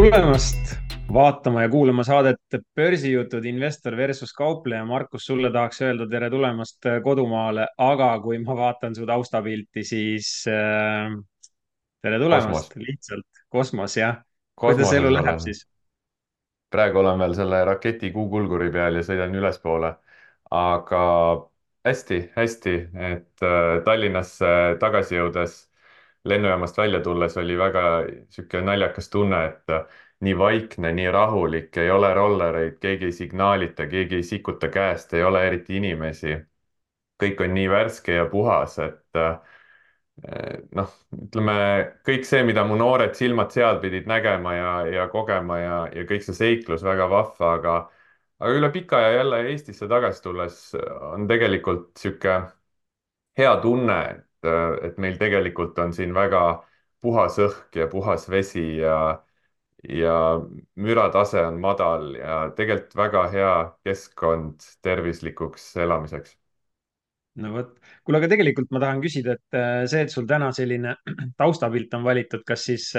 tulemast vaatama ja kuulama saadet Börsijutud investor versus kaupleja. Markus, sulle tahaks öelda tere tulemast kodumaale, aga kui ma vaatan su taustapilti, siis tere Kosmos, tulemast lihtsalt kosmos, jah. kuidas elu kosmoses läheb olen. siis? Praegu olen veel selle raketi kuukulguri peal ja sõidan ülespoole. aga hästi, hästi, et Tallinnasse tagasi jõudes, lennujaamast välja tulles oli väga sihuke naljakas tunne, et nii vaikne, nii rahulik, ei ole rollereid, keegi ei signaalita, keegi ei sikuta käest, ei ole eriti inimesi. kõik on nii värske ja puhas, et noh, ütleme kõik see, mida mu noored silmad seal pidid nägema ja kogema ja kõik see seiklus väga vahva, aga üle pika aja jälle Eestisse tagasi tulles on tegelikult sihuke hea tunne, et meil tegelikult on siin väga puhas õhk ja puhas vesi ja müratase on madal ja tegelikult väga hea keskkond tervislikuks elamiseks. No vot, kuule, aga tegelikult ma tahan küsida, et see, et sul täna selline taustapilt on valitud, kas siis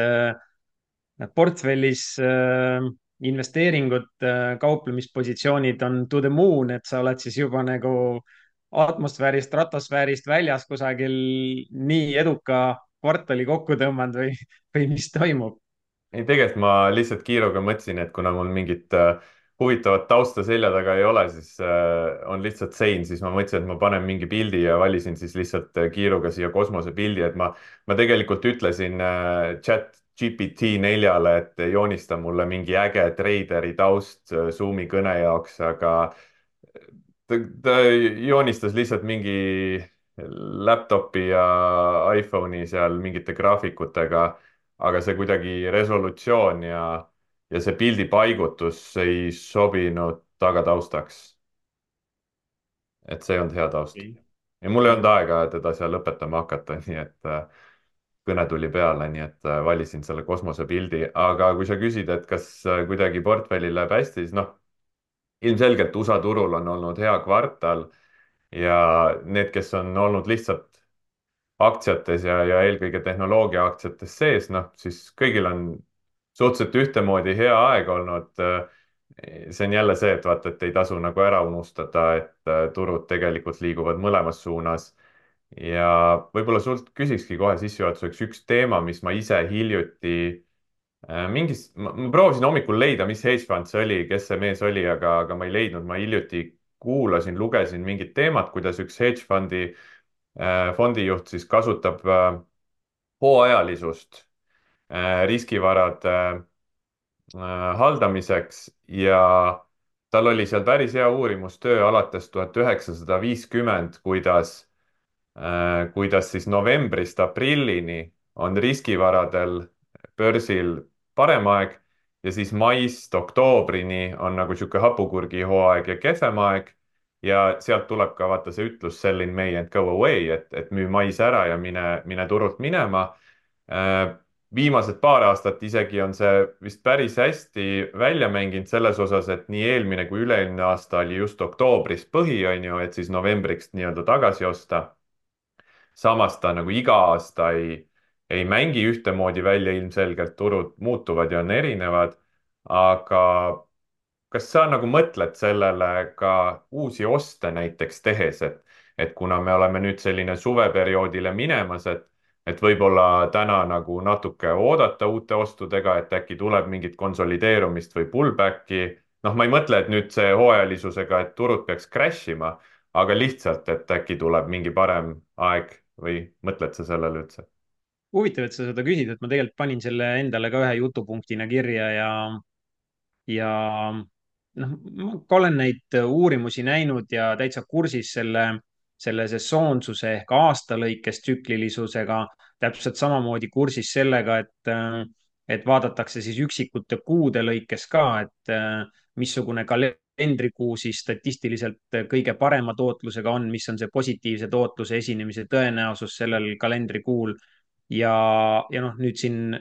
portfellis investeeringud, kauplemispositsioonid on to the moon, et sa oled siis juba nagu atmosfäärist, stratosfäärist väljas kusagil nii eduka kvartali kokku tõmmanud või mis toimub? ei, tegelikult ma lihtsalt kiiruga mõtlesin, et kuna mul mingit huvitavat tausta selja taga ei ole, siis on lihtsalt sein, siis ma mõtlesin, et ma panen mingi pildi ja valisin siis lihtsalt kiiruga siia kosmosepildi, et ma tegelikult ütlesin chat GPT 4-le, et joonista mulle mingi äge treideri taust Zoomi kõne jaoks, aga ta joonistas lihtsalt mingi laptopi ja iPhone'i seal mingite graafikutega, aga see kuidagi resolutsioon ja see pildi paigutus ei sobinud tagataustaks. Et see ei olnud hea taust. Okei. ja mul ei olnud Mhm. aega teda seal õpetama hakata, nii et kõne tuli peale, nii et valisin selle kosmosepildi, aga kui sa küsid, et kas kuidagi portfellil läheb hästi, siis noh, ilmselgelt USA turul on olnud hea kvartal ja need, kes on olnud lihtsalt aktsiates ja eelkõige tehnoloogiaaktsiates sees, noh, siis kõigil on suhteliselt ühtemoodi hea aeg olnud. see on jälle see, et vaata, et ei tasu nagu ära unustada, et turud tegelikult liiguvad mõlemas suunas. ja võib-olla sult küsikski kohe sissejuhatuseks üks teema, mis ma ise hiljuti ma proovisin hommikul leida, mis hedge fund see oli, kes see mees oli, aga ma ei leidnud, ma hiljuti kuulasin, lugesin mingit teemat, kuidas üks hedge fondijuht siis kasutab hooajalisust riskivarade haldamiseks ja tal oli seal päris hea uurimustöö alates 1950, kuidas siis novembrist aprillini on riskivaradel börsil parem aeg ja siis maist oktoobrini on nagu sihuke hapukurgihooaeg ja kehvem aeg. ja sealt tuleb ka vaata see ütlus sell in May and go away, et müü mais ära ja mine turult minema. Viimased paar aastat isegi on see vist päris hästi välja mänginud selles osas, et nii eelmine kui üle-eelmine aasta oli just oktoobris põhi, on ju, et siis novembriks nii-öelda tagasi osta. samas ta nagu iga aasta ei mängi ühtemoodi välja, ilmselgelt turud muutuvad ja on erinevad. aga kas sa nagu mõtled sellele ka uusi oste näiteks tehes, et kuna me oleme nüüd selline suveperioodile minemas, et võib-olla täna nagu natuke oodata uute ostudega, et äkki tuleb mingit konsolideerumist või pullback'i. noh, ma ei mõtle, et nüüd see hooajalisusega, et turud peaks crash ima, aga lihtsalt, et äkki tuleb mingi parem aeg või mõtled sa sellele üldse? Huvitav, et sa seda küsid, et ma tegelikult panin selle endale ka ühe jutupunktina kirja ja noh, ma ka olen neid uurimusi näinud ja täitsa kursis selle sesoonsuse ehk aasta lõikes tsüklilisusega, täpselt samamoodi kursis sellega, et vaadatakse siis üksikute kuude lõikes ka, et missugune kalendrikuu siis statistiliselt kõige parema tootlusega on, mis on see positiivse tootluse esinemise tõenäosus sellel kalendrikuul ja noh, nüüd siin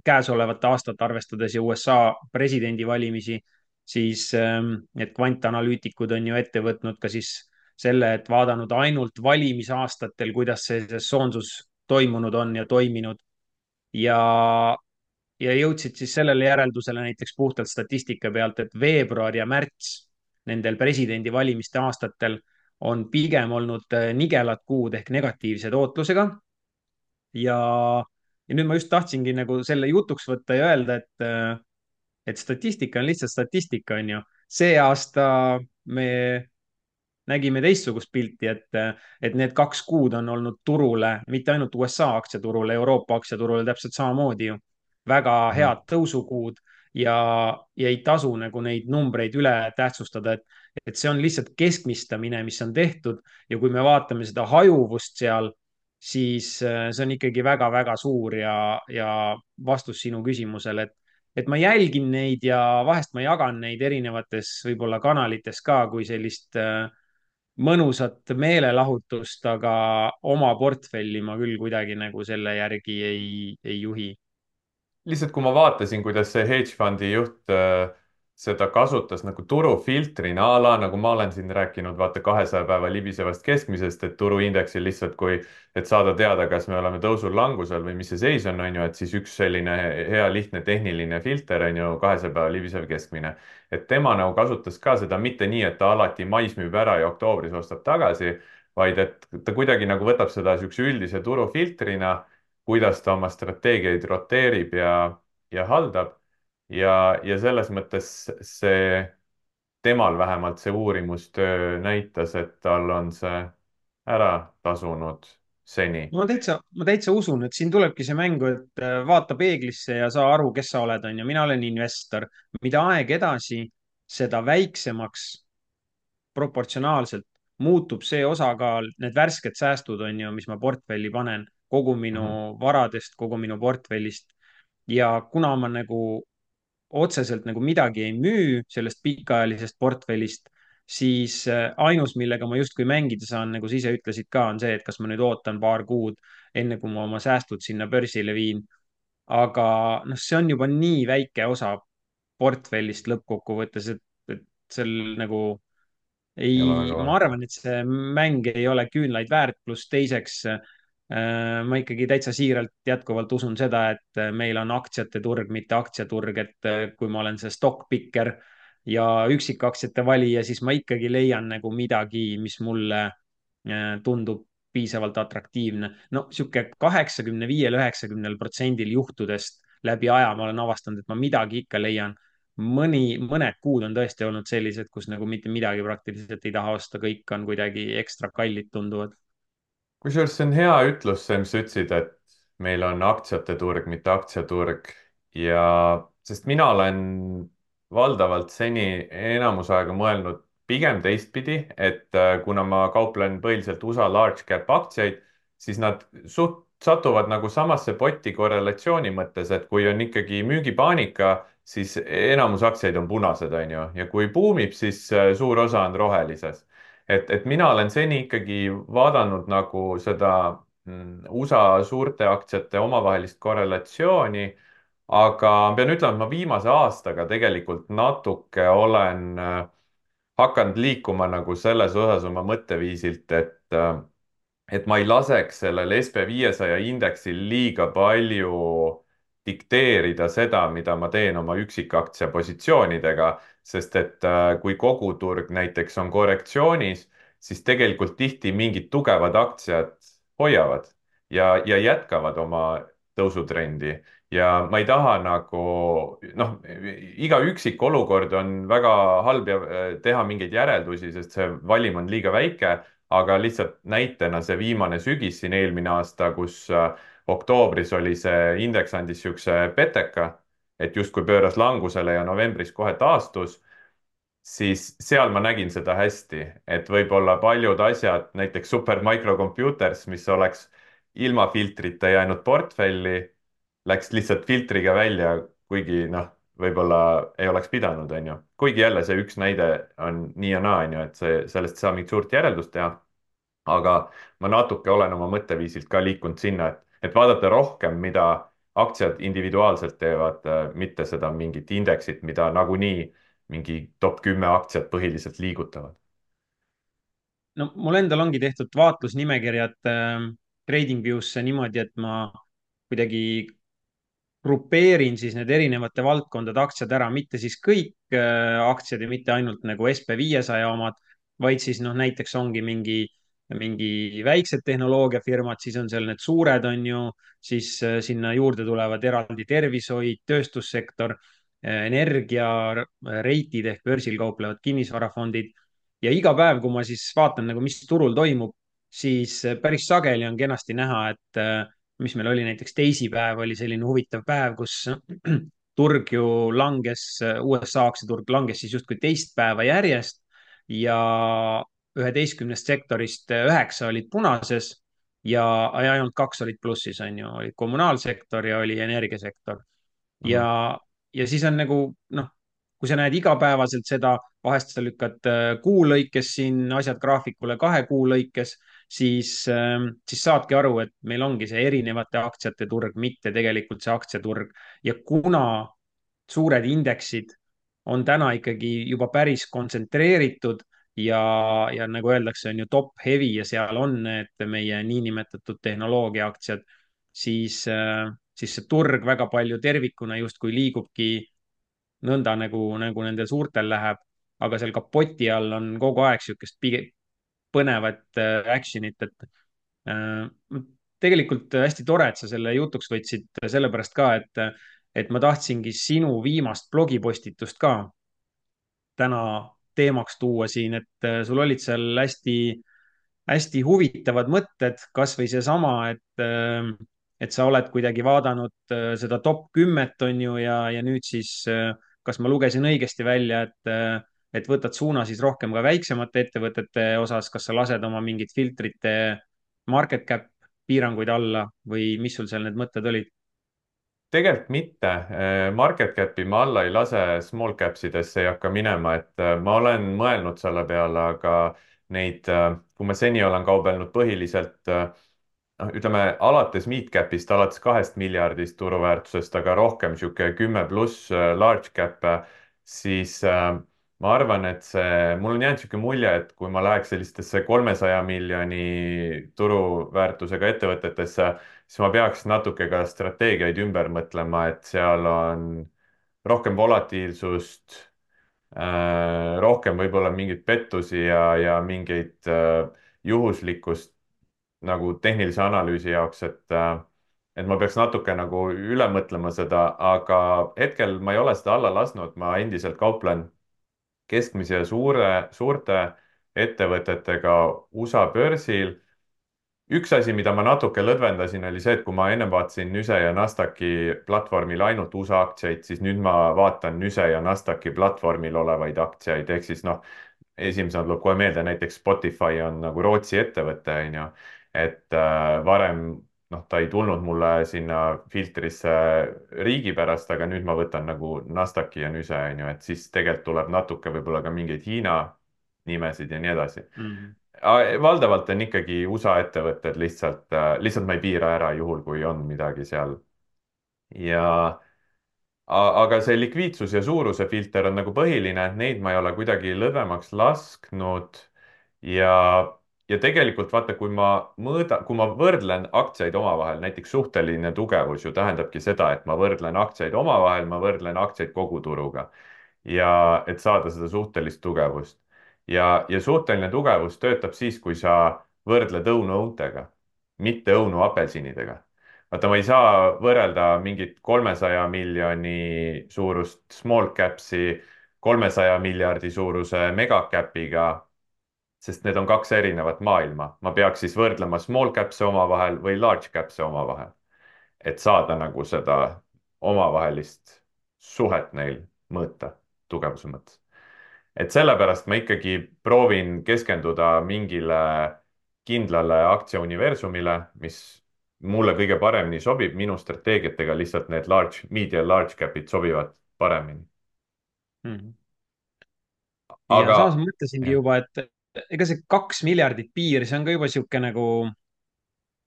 käesolevat aastat arvestades ja USA presidendivalimisi, siis need kvantanalüütikud on ju ette võtnud ka siis selle, et vaadanud ainult valimisaastatel, kuidas see sesoonsus toimunud on ja toiminud. ja ja jõudsid siis sellele järeldusele näiteks puhtalt statistika pealt, et veebruar ja märts nendel presidendivalimiste aastatel on pigem olnud nigelad kuud ehk negatiivse tootlusega. ja, ja nüüd ma just tahtsingi nagu selle jutuks võtta ja öelda, et statistika on lihtsalt statistika, on ju. See aasta me nägime teistsugust pilti, et need 2 kuud on olnud turule, mitte ainult USA aktsiaturule, Euroopa aktsiaturule täpselt samamoodi ju, väga Mhm. head tõusukuud ja, ja ei tasu nagu neid numbreid üle tähtsustada, et see on lihtsalt keskmistamine, mis on tehtud ja kui me vaatame seda hajuvust seal, siis see on ikkagi väga-väga suur ja vastus sinu küsimusele, et ma jälgin neid ja vahest ma jagan neid erinevates võib-olla kanalites ka kui sellist mõnusat meelelahutust, aga oma portfelli ma küll kuidagi nagu selle järgi ei juhi. Lihtsalt kui ma vaatasin, kuidas see hedge fondi juht seda kasutas nagu turufiltrina a la nagu ma olen siin rääkinud, vaata 200 päeva libisevast keskmisest, et turuindeksil lihtsalt kui, et saada teada, kas me oleme tõusul, langusel või mis see seis on ju, et siis üks selline hea lihtne tehniline filter on ju 200 päeva libisev keskmine. et tema nagu kasutas ka seda mitte nii, et ta alati mais müüb ära ja oktoobris ostab tagasi, vaid et ta kuidagi nagu võtab seda niisuguse üldise turufiltrina kuidas ta oma strateegiaid roteerib ja haldab. ja selles mõttes see, temal vähemalt see uurimustöö näitas, et tal on see ära tasunud seni. Ma täitsa usun, et siin tulebki see mängu, et vaata peeglisse ja saa aru, kes sa oled, on ju. Mina olen investor. mida aeg edasi, seda väiksemaks proportsionaalselt muutub see osakaal, need värsked säästud on ju, mis ma portfelli panen, kogu minu Mhm. varadest, kogu minu portfellist. ja kuna ma nagu otseselt nagu midagi ei müü sellest pikaajalisest portfellist, siis ainus, millega ma justkui mängida saan, nagu sa ise ütlesid ka, on see, et kas ma nüüd ootan paar kuud, enne kui ma oma säästud sinna börsile viin. aga noh, see on juba nii väike osa portfellist lõppkokkuvõttes, et seal nagu ei ole väga ei, ma vahet. arvan, et see mäng ei ole küünlaid väärt, pluss teiseks ma ikkagi täitsa siiralt jätkuvalt usun seda, et meil on aktsiate turg, mitte aktsiaturg, et kui ma olen see stock picker ja üksikaktsiate valija, siis ma ikkagi leian nagu midagi, mis mulle tundub piisavalt atraktiivne. no sihuke 85-90% juhtudest läbi aja ma olen avastanud, et ma midagi ikka leian. Mõned kuud on tõesti olnud sellised, kus nagu mitte midagi praktiliselt ei taha osta, kõik on kuidagi ekstra kallid tunduvad. kusjuures see on hea ütlus, see, mis sa ütlesid, et meil on aktsiate turg, mitte aktsiaturg ja sest mina olen valdavalt seni enamus aega mõelnud pigem teistpidi, et kuna ma kauplen põhiliselt USA large cap aktsiaid, siis nad suht satuvad nagu samasse potti korrelatsiooni mõttes, et kui on ikkagi müügipaanika, siis enamus aktsiaid on punased, on ju, ja kui buumib, siis suur osa on rohelises et mina olen seni ikkagi vaadanud nagu seda USA suurte aktsiate omavahelist korrelatsiooni, aga pean ütlema, et ma viimase aastaga tegelikult natuke olen hakanud liikuma nagu selles osas oma mõtteviisilt, et ma ei laseks sellel SB500 indeksil liiga palju dikteerida seda, mida ma teen oma üksikaktsia positsioonidega, sest et kui kogu turg näiteks on korrektsioonis, siis tegelikult tihti mingid tugevad aktsiad hoiavad ja jätkavad oma tõusutrendi ja ma ei taha nagu noh, iga üksik olukord on väga halb ja teha mingeid järeldusi, sest see valim on liiga väike, aga lihtsalt näitena see viimane sügis siin eelmine aasta, kus oktoobris oli see indeks andis niisuguse peteka, et justkui pööras langusele ja novembris kohe taastus, siis seal ma nägin seda hästi, et võib-olla paljud asjad, näiteks Supermicro Computers, mis oleks ilma filtrita jäänud portfelli, läks lihtsalt filtriga välja, kuigi noh, võib-olla ei oleks pidanud, on ju. kuigi jälle see üks näide on nii ja naa, on ju, et see, sellest ei saa mingit suurt järeldust teha aga ma natuke olen oma mõtteviisilt ka liikunud sinna, et vaadata rohkem, mida aktsiad individuaalselt teevad, mitte seda mingit indeksit, mida nagunii mingi top 10 aktsiat põhiliselt liigutavad. no mul endal ongi tehtud vaatlusnimekirjad TradingViewsse niimoodi, et ma kuidagi grupeerin siis need erinevate valdkondade aktsiad ära, mitte siis kõik aktsiad ja mitte ainult nagu SB500 omad, vaid siis noh, näiteks ongi mingi väiksed tehnoloogiafirmad, siis on seal need suured, on ju, siis sinna juurde tulevad eraldi tervishoid, tööstussektor, energia, reitid ehk börsil kauplevad kinnisvarafondid. ja iga päev, kui ma siis vaatan nagu, mis turul toimub, siis päris sageli on kenasti näha, et mis meil oli näiteks teisipäev, oli selline huvitav päev, kus turg ju langes, USA aktsiaturg langes siis justkui teist päeva järjest ja 11 sektorist 9 olid punases ja ainult 2 olid plussis, on ju, oli kommunaalsektor ja oli energiasektor. Mhm. ja siis on nagu noh, kui sa näed igapäevaselt seda, vahest sa lükkad kuu lõikes siin asjad graafikule 2 kuu lõikes, siis saadki aru, et meil ongi see erinevate aktsiate turg, mitte tegelikult see aktsiaturg. ja kuna suured indeksid on täna ikkagi juba päris kontsentreeritud ja nagu öeldakse, on ju top heavy ja seal on need meie niinimetatud tehnoloogiaaktsiad, siis see turg väga palju tervikuna justkui liigubki nõnda nagu nendel suurtel läheb, aga seal kapoti all on kogu aeg niisugust põnevat action'it, et tegelikult hästi tore, et sa selle jutuks võtsid, sellepärast ka, et ma tahtsingi sinu viimast blogipostitust ka täna teemaks tuua siin, et sul olid seal hästi huvitavad mõtted, kasvõi seesama, et sa oled kuidagi vaadanud seda top 10 on ju, ja nüüd siis, kas ma lugesin õigesti välja, et võtad suuna siis rohkem ka väiksemate ettevõtete osas, kas sa lased oma mingid filtrite market cap piiranguid alla või mis sul seal need mõtted olid? tegelikult mitte. Market cap'i ma alla ei lase, small cap sidesse ei hakka minema, et ma olen mõelnud selle peale, aga neid, kui ma seni olen kaubelnud põhiliselt noh, ütleme alates mid-cap'ist, alates 2 miljardist turuväärtusest, aga rohkem niisugune 10+ large cap'e, siis ma arvan, et mul on jäänud niisugune mulje, et kui ma läheks sellistesse 300 miljoni turuväärtusega ettevõtetesse, siis ma peaks natuke ka strateegiaid ümber mõtlema, et seal on rohkem volatiilsust, rohkem võib-olla mingeid pettusi ja mingeid juhuslikkust nagu tehnilise analüüsi jaoks, et ma peaks natuke nagu üle mõtlema seda, aga hetkel ma ei ole seda alla lasknud, ma endiselt kauplen keskmise ja suurte ettevõtetega USA börsil. Üks asi, mida ma natuke lõdvendasin, oli see, et kui ma ennem vaatasin Nüse ja Nasdaqi platvormil ainult USA aktsiaid, siis nüüd ma vaatan Nüse ja Nasdaqi platvormil olevaid aktsiaid, ehk siis noh, esimesena tuleb kohe meelde, näiteks Spotify on nagu Rootsi ettevõte, on ju. Et varem noh, ta ei tulnud mulle sinna filtrisse riigi pärast, aga nüüd ma võtan nagu Nasdaqi ja Nüse, on ju, et siis tegelikult tuleb natuke võib-olla ka mingeid Hiina nimesid ja nii edasi. Mm. Valdavalt on ikkagi USA ettevõtted lihtsalt, lihtsalt ma ei piira ära juhul, kui on midagi seal. ja aga see likviidsus ja suuruse filter on nagu põhiline, et neid ma ei ole kuidagi lõdvemaks lasknud. ja, ja tegelikult vaata, kui ma võrdlen aktsiaid omavahel, näiteks suhteline tugevus ju tähendabki seda, et ma võrdlen aktsiaid omavahel, ma võrdlen aktsiaid koguturuga ja et saada seda suhtelist tugevust. ja suhteline tugevus töötab siis, kui sa võrdled õunu õuntega, mitte õunu apelsinidega. vaata, ma ei saa võrrelda mingit 300 miljoni suurust small caps'i 300 miljardi suuruse mega cap'iga, sest need on kaks erinevat maailma. ma peaks siis võrdlema small caps'e omavahel või large caps'e omavahel, et saada nagu seda omavahelist suhet neil mõõta tugevuse mõttes. Et sellepärast ma ikkagi proovin keskenduda mingile kindlale aktsiauniversumile, mis mulle kõige paremini sobib, minu strateegiatega lihtsalt need mid ja large cap'id sobivad paremini. Mm. ja Aga samas ma mõtlesingi jah, juba, et ega see 2 miljardit piir, see on ka juba sihuke nagu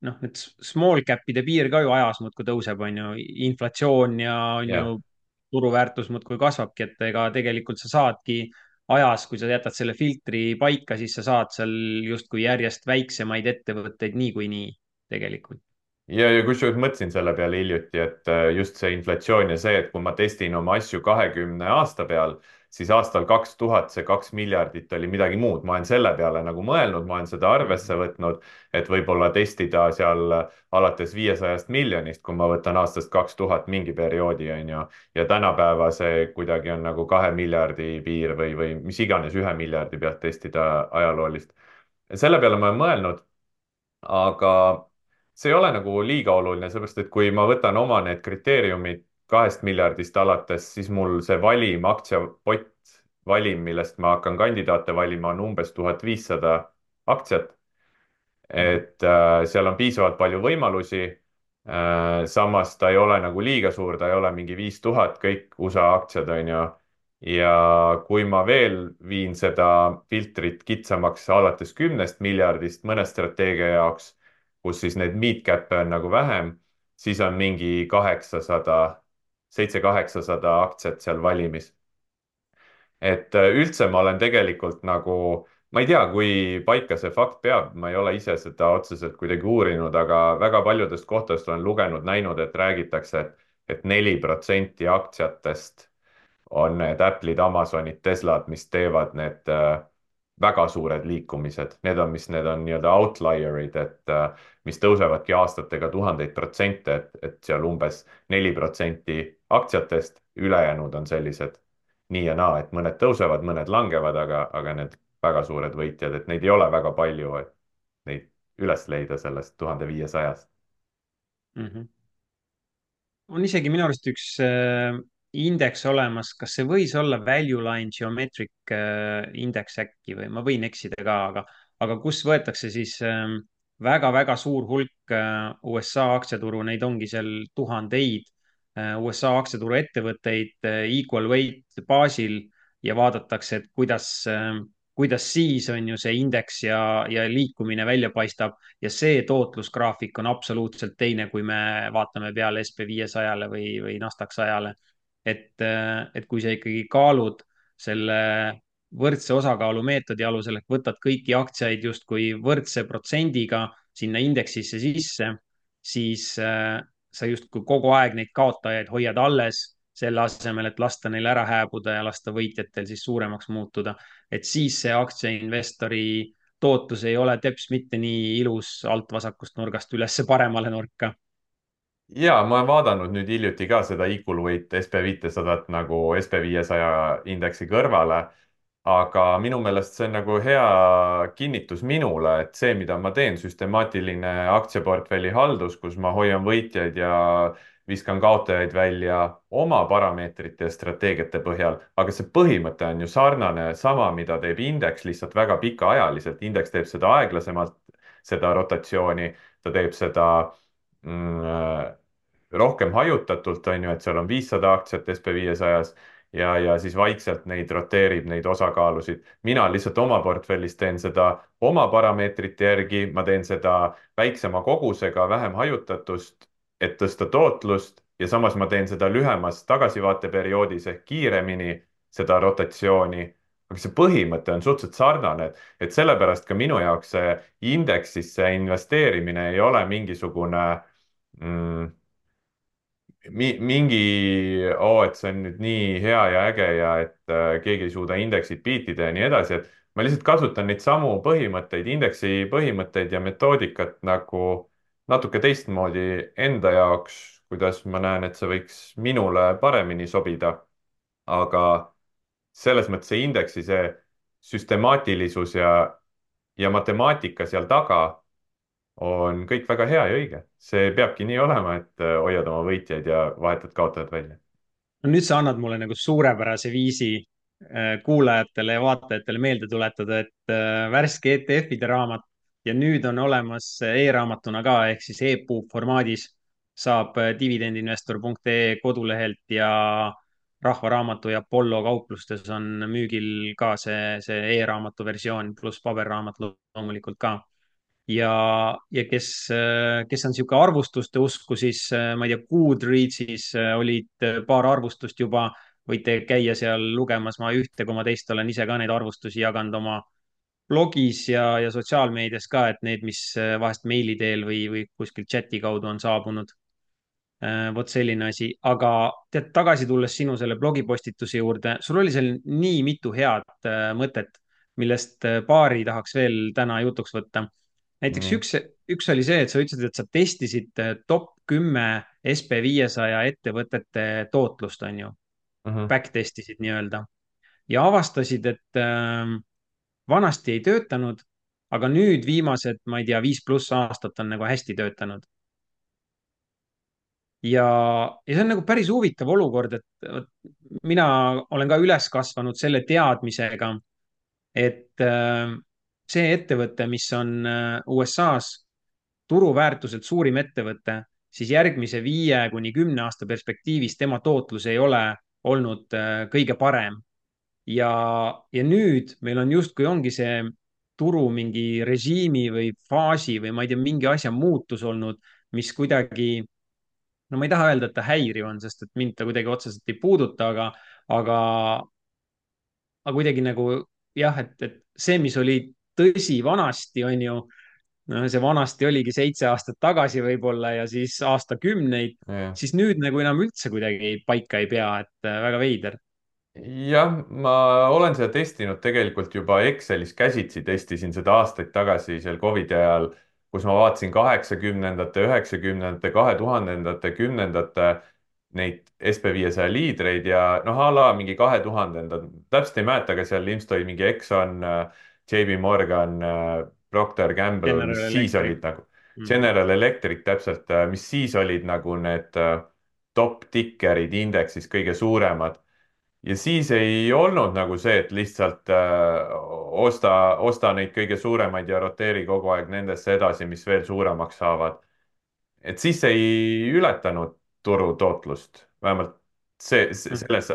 noh, need small cap'ide piir ka ju ajas muudkui tõuseb, on ju, inflatsioon ja on ju jah. turuväärtus muudkui kasvabki, et ega tegelikult sa saadki ajas, kui sa jätad selle filtri paika, siis sa saad seal justkui järjest väiksemaid ettevõtteid niikuinii tegelikult. ja kusjuures mõtlesin selle peale hiljuti, et just see inflatsioon ja see, et kui ma testin oma asju 20 aasta peal, siis aastal 2000 see 2 miljardit oli midagi muud. ma olen selle peale nagu mõelnud, ma olen seda arvesse võtnud, et võib-olla testida seal alates 500 miljonist, kui ma võtan aastast 2000 mingi perioodi, on ju. ja tänapäeva see kuidagi on nagu 2 miljardi piir või mis iganes 1 miljardi pealt testida ajaloolist. selle peale ma olen mõelnud, aga see ei ole nagu liiga oluline, sellepärast et kui ma võtan oma need kriteeriumid 2 miljardist alates, siis mul see valim, aktsiapott, valim, millest ma hakkan kandidaate valima, on umbes 1500 aktsiat. Mhm. et seal on piisavalt palju võimalusi. Samas ta ei ole nagu liiga suur, ta ei ole mingi 5000, kõik USA aktsiad on ju. ja kui ma veel viin seda filtrit kitsamaks alates 10 miljardist mõne strateegia jaoks, kus siis neid mid-cap'e on nagu vähem, siis on mingi 800, 700-800 aktsiat seal valimis. et üldse ma olen tegelikult nagu, ma ei tea, kui paika see fakt peab, ma ei ole ise seda otseselt kuidagi uurinud, aga väga paljudest kohtadest olen lugenud, näinud, et räägitakse, et 4% aktsiatest on need Apple'id, Amazonid, Teslad, mis teevad need väga suured liikumised. Need on nii-öelda outlier'id, mis tõusevadki aastatega tuhandeid protsente, et seal umbes 4% aktsiatest, ülejäänud on sellised nii ja naa, et mõned tõusevad, mõned langevad, aga need väga suured võitjad, et neid ei ole väga palju, et neid üles leida sellest 1500-st. Mhm. On isegi minu arust üks indeks olemas, kas see võis olla Value Line Geometric indeks äkki või ma võin eksida ka, aga kus võetakse siis väga-väga suur hulk USA aktsiaturu, neid ongi seal tuhandeid USA aktsiaturu ettevõtteid equal weight baasil ja vaadatakse, et kuidas siis on ju see indeks ja liikumine välja paistab ja see tootlusgraafik on absoluutselt teine, kui me vaatame peale SB500-le või Nasdaq 100-le. et kui sa ikkagi kaalud selle võrdse osakaalu meetodi alusel, ehk võtad kõiki aktsiaid justkui võrdse protsendiga sinna indeksisse sisse, siis sa justkui kogu aeg neid kaotajaid hoiad alles, selle asemel, et lasta neil ära hääbuda ja lasta võitjatel siis suuremaks muutuda. et siis see aktsiainvestori tootlus ei ole teps mitte nii ilus alt vasakust nurgast üles paremale nurka. ja ma olen vaadanud nüüd hiljuti ka seda Equal Weight SB500 nagu SB500 indeksi kõrvale, aga minu meelest see on nagu hea kinnitus minule, et see, mida ma teen, süstemaatiline aktsiaportfelli haldus, kus ma hoian võitjaid ja viskan kaotajaid välja oma parameetrite ja strateegiate põhjal, aga see põhimõte on ju sarnane, sama, mida teeb indeks, lihtsalt väga pikaajaliselt. indeks teeb seda aeglasemalt, seda rotatsiooni, ta teeb seda rohkem hajutatult, on ju, et seal on 500 aktsiat SB500-s ja siis vaikselt neid roteerib, neid osakaalusid. mina lihtsalt oma portfellis teen seda oma parameetrite järgi, ma teen seda väiksema kogusega, vähem hajutatust, et tõsta tootlust ja samas ma teen seda lühemas tagasivaateperioodis ehk kiiremini, seda rotatsiooni. aga see põhimõte on suhteliselt sarnane, et sellepärast ka minu jaoks see indeksisse investeerimine ei ole mingisugune mm, mingi, oo, et see on nüüd nii hea ja äge ja et keegi ei suuda indeksit biitida ja nii edasi, et ma lihtsalt kasutan neid samu põhimõtteid, indeksi põhimõtteid ja metoodikat nagu natuke teistmoodi enda jaoks, kuidas ma näen, et see võiks minule paremini sobida. aga selles mõttes see indeksi, see süstemaatilisus ja matemaatika seal taga on kõik väga hea ja õige. see peabki nii olema, et hoiad oma võitjaid ja vahetad kaotajad välja. no nüüd sa annad mulle nagu suurepärase viisi kuulajatele ja vaatajatele meelde tuletada, et värske ETF-ide raamat ja nüüd on olemas e-raamatuna ka ehk siis e-puub formaadis saab dividendinvestor.ee kodulehelt ja Rahva Raamatu ja Apollo kauplustes on müügil ka see e-raamatu versioon pluss paberraamat loomulikult ka ja kes on niisugune arvustuste usku, siis ma ei tea, Goodreadsis olid paar arvustust juba, võite käia seal lugemas, ma ühte koma teist olen ise ka neid arvustusi jaganud oma blogis ja sotsiaalmeedias ka, et need, mis vahest meili teel või kuskil chati kaudu on saabunud. Vot selline asi, aga tead, tagasi tulles sinu selle blogipostituse juurde, sul oli seal nii mitu head mõtet, millest paari tahaks veel täna jutuks võtta. näiteks nii. üks oli see, et sa ütlesid, et sa testisid top 10 SB500 ettevõtete tootlust, on ju, Mhm, back testisid nii-öelda ja avastasid, et vanasti ei töötanud, aga nüüd viimased, ma ei tea, 5+ aastat on nagu hästi töötanud. ja, ja see on nagu päris huvitav olukord, et vot mina olen ka üles kasvanud selle teadmisega, et see ettevõte, mis on USA-s turuväärtuselt suurim ettevõte, siis järgmise 5 kuni 10 aasta perspektiivis tema tootlus ei ole olnud kõige parem. ja, ja nüüd meil on justkui ongi see turu mingi režiimi või faasi või ma ei tea, mingi asja muutus olnud, mis kuidagi, no ma ei taha öelda, et ta häiriv on, sest et mind ta kuidagi otseselt ei puuduta, aga, aga kuidagi nagu jah, et see, mis oli tõsi vanasti, on ju, no see vanasti oligi 7 aastat tagasi võib-olla ja siis aastakümneid, jah. siis nüüd nagu enam üldse kuidagi paika ei pea, et väga veider. Jah, ma olen seda testinud tegelikult juba Excelis käsitsi, testisin seda aastaid tagasi seal Covidi ajal, kus ma vaatasin 80-ndate, 90-ndate, 2000-ndate, 10-ndate neid SB500 liidreid ja noh, a la mingi 2000-ndad, täpselt ei mäleta, aga seal ilmselt oli mingi Exxon, JP Morgan, Procter Gamble, General mis siis Electric. olid nagu, Mhm. General Electric täpselt, mis siis olid nagu need top ticker'id indeksis kõige suuremad ja siis ei olnud nagu see, et lihtsalt osta neid kõige suuremaid ja roteeri kogu aeg nendesse edasi, mis veel suuremaks saavad. et siis see ei ületanud turu tootlust, vähemalt Mhm. selles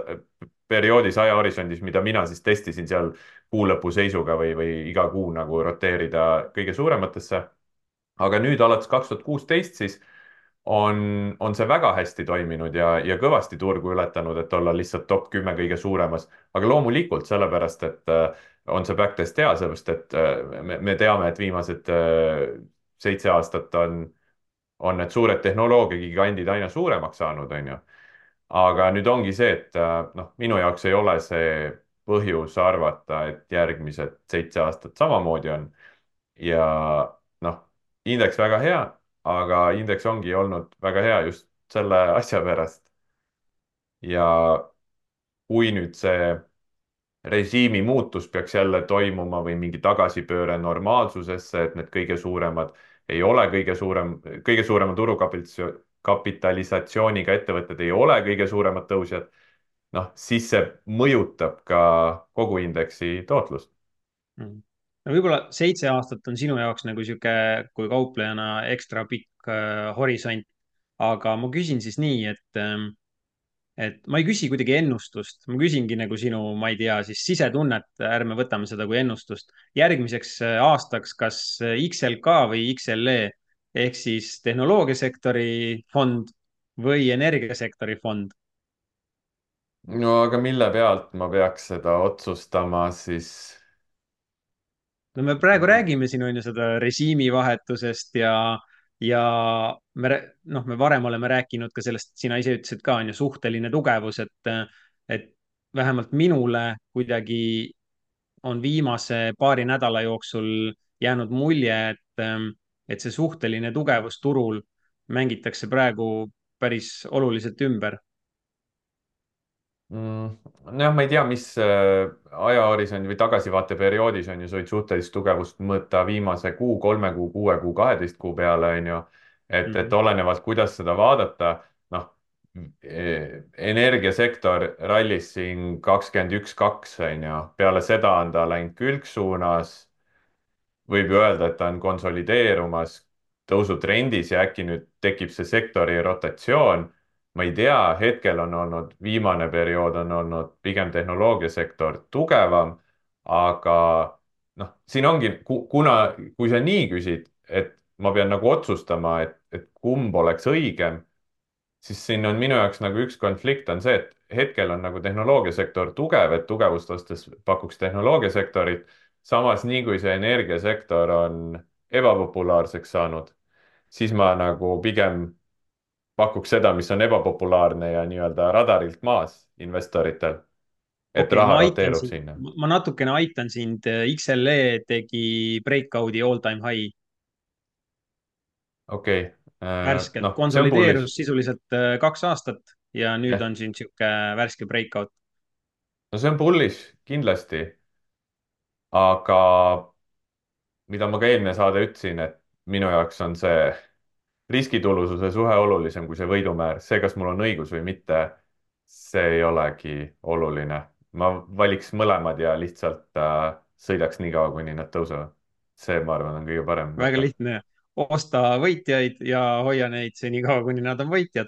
perioodis, ajahorisondis, mida mina siis testisin seal kuu lõpu seisuga või iga kuu nagu roteerida kõige suurematesse. aga nüüd alates 2016 siis on see väga hästi toiminud ja kõvasti turgu ületanud, et olla lihtsalt top 10 kõige suuremas. aga loomulikult sellepärast, et on see backtest hea, sellepärast et me teame, et viimased 7 aastat on need suured tehnoloogiagigandid aina suuremaks saanud, on ju. aga nüüd ongi see, et noh, minu jaoks ei ole see põhjus arvata, et järgmised 7 aastat samamoodi on ja noh, indeks väga hea, aga indeks ongi olnud väga hea just selle asja pärast. ja kui nüüd see režiimi muutus peaks jälle toimuma või mingi tagasipööre normaalsusesse, et need kõige suuremad ei ole kõige suurema turukapitalisatsiooniga ettevõtted ei ole kõige suuremad tõusjad, noh, siis see mõjutab ka kogu indeksi tootlust. Mhm. no võib-olla 7 aastat on sinu jaoks nagu sihuke, kui kauplejana ekstra pikk horisont. aga ma küsin siis nii, et ma ei küsi kuidagi ennustust, ma küsingi nagu sinu, ma ei tea, siis sisetunnet, ärme võtame seda kui ennustust. järgmiseks aastaks, kas XLK või XLE ehk siis tehnoloogiasektori fond või energiasektori fond? no aga mille pealt ma peaks seda otsustama siis? no me praegu räägime siin on ju seda režiimivahetusest ja noh, me varem oleme rääkinud ka sellest, sina ise ütlesid ka, on ju, suhteline tugevus, et vähemalt minule kuidagi on viimase paari nädala jooksul jäänud mulje, et see suhteline tugevus turul mängitakse praegu päris oluliselt ümber. Nojah, ma ei tea, mis ajahorisondi või tagasivaateperioodis on ju, sa võid suhtelist tugevust mõõta viimase kuu, 3 kuu, 6 kuu, 12 kuu peale, on ju. et Mhm. olenevalt, kuidas seda vaadata, noh, energiasektor rallis siin 21.2, on ju, peale seda on ta läinud külgsuunas võib ju öelda, et ta on konsolideerumas tõusutrendis ja äkki nüüd tekib see sektori rotatsioon. ma ei tea, hetkel on olnud, viimane periood on olnud pigem tehnoloogiasektor tugevam, aga noh, siin ongi, kuna, kui sa nii küsid, et ma pean nagu otsustama, et kumb oleks õigem, siis siin on minu jaoks nagu üks konflikt on see, et hetkel on nagu tehnoloogiasektor tugev, et tugevust ostes pakuks tehnoloogiasektorit. samas, nii kui see energiasektor on ebapopulaarseks saanud, siis ma nagu pigem pakuks seda, mis on ebapopulaarne ja nii-öelda radarilt maas investoritel, et okei, raha ma aitan roteerub sind, sinna. ma natukene aitan sind. XLE tegi breakout'i all time high okei värskelt, noh, see on bullish. konsolideerus sisuliselt 2 aastat ja nüüd jah, on siin sihuke värske breakout. no see on bullish kindlasti, aga mida ma ka eelmine saade ütlesin, et minu jaoks on see riskitulususe suhe olulisem kui see võidumäär. See, kas mul on õigus või mitte, see ei olegi oluline. ma valiks mõlemad ja lihtsalt sõidaks nii kaua, kuni nad tõusevad. see, ma arvan, on kõige parem väga mõte. lihtne, osta võitjaid ja hoia neid senikaua, kuni nad on võitjad.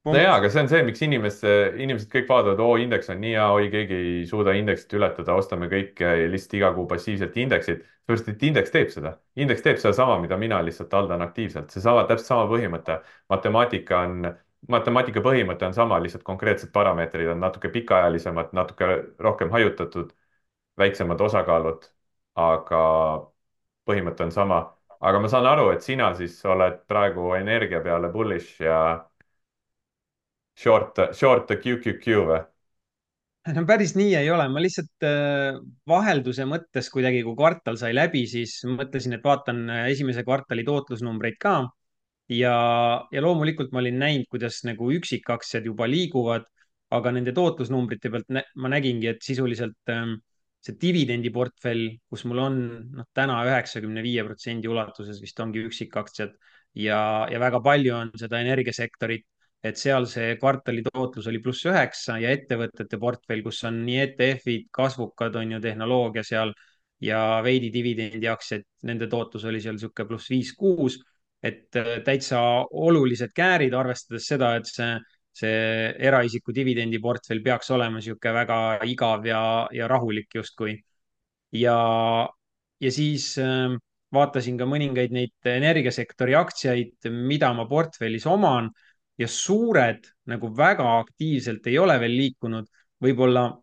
no jaa, punkt. aga see on see, miks inimesed kõik vaatavad, oo, indeks on nii hea, oi, keegi ei suuda indeksit ületada, ostame kõik lihtsalt iga kuu passiivselt indeksit. sellepärast, et indeks teeb seda. Indeks teeb sedasama, mida mina lihtsalt haldan aktiivselt. seesama, täpselt sama põhimõte. matemaatika on, matemaatika põhimõte on sama, lihtsalt konkreetsed parameetrid on natuke pikaajalisemad, natuke rohkem hajutatud, väiksemad osakaalud, aga põhimõte on sama. aga ma saan aru, et sina siis oled praegu energia peale bullish ja short QQQ või? no päris nii ei ole, ma lihtsalt vahelduse mõttes kuidagi, kui kvartal sai läbi, siis mõtlesin, et vaatan esimese kvartali tootlusnumbreid ka ja, ja loomulikult ma olin näinud, kuidas nagu üksikaktsiad juba liiguvad, aga nende tootlusnumbrite pealt ma nägingi, et sisuliselt see dividendiportfell, kus mul on noh, täna 95% ulatuses vist ongi üksikaktsiad ja väga palju on seda energiasektorit, et seal see kvartali tootlus oli +9 ja ettevõtete portfell, kus on nii ETF-id, kasvukad on ju tehnoloogia seal ja veidi dividendiaktsiaid, nende tootlus oli seal niisugune +5-6, et täitsa olulised käärid, arvestades seda, et see eraisiku dividendiportfell peaks olema niisugune väga igav ja rahulik justkui. ja, ja siis vaatasin ka mõningaid neid energiasektori aktsiaid, mida ma portfellis oman ja suured nagu väga aktiivselt ei ole veel liikunud. võib-olla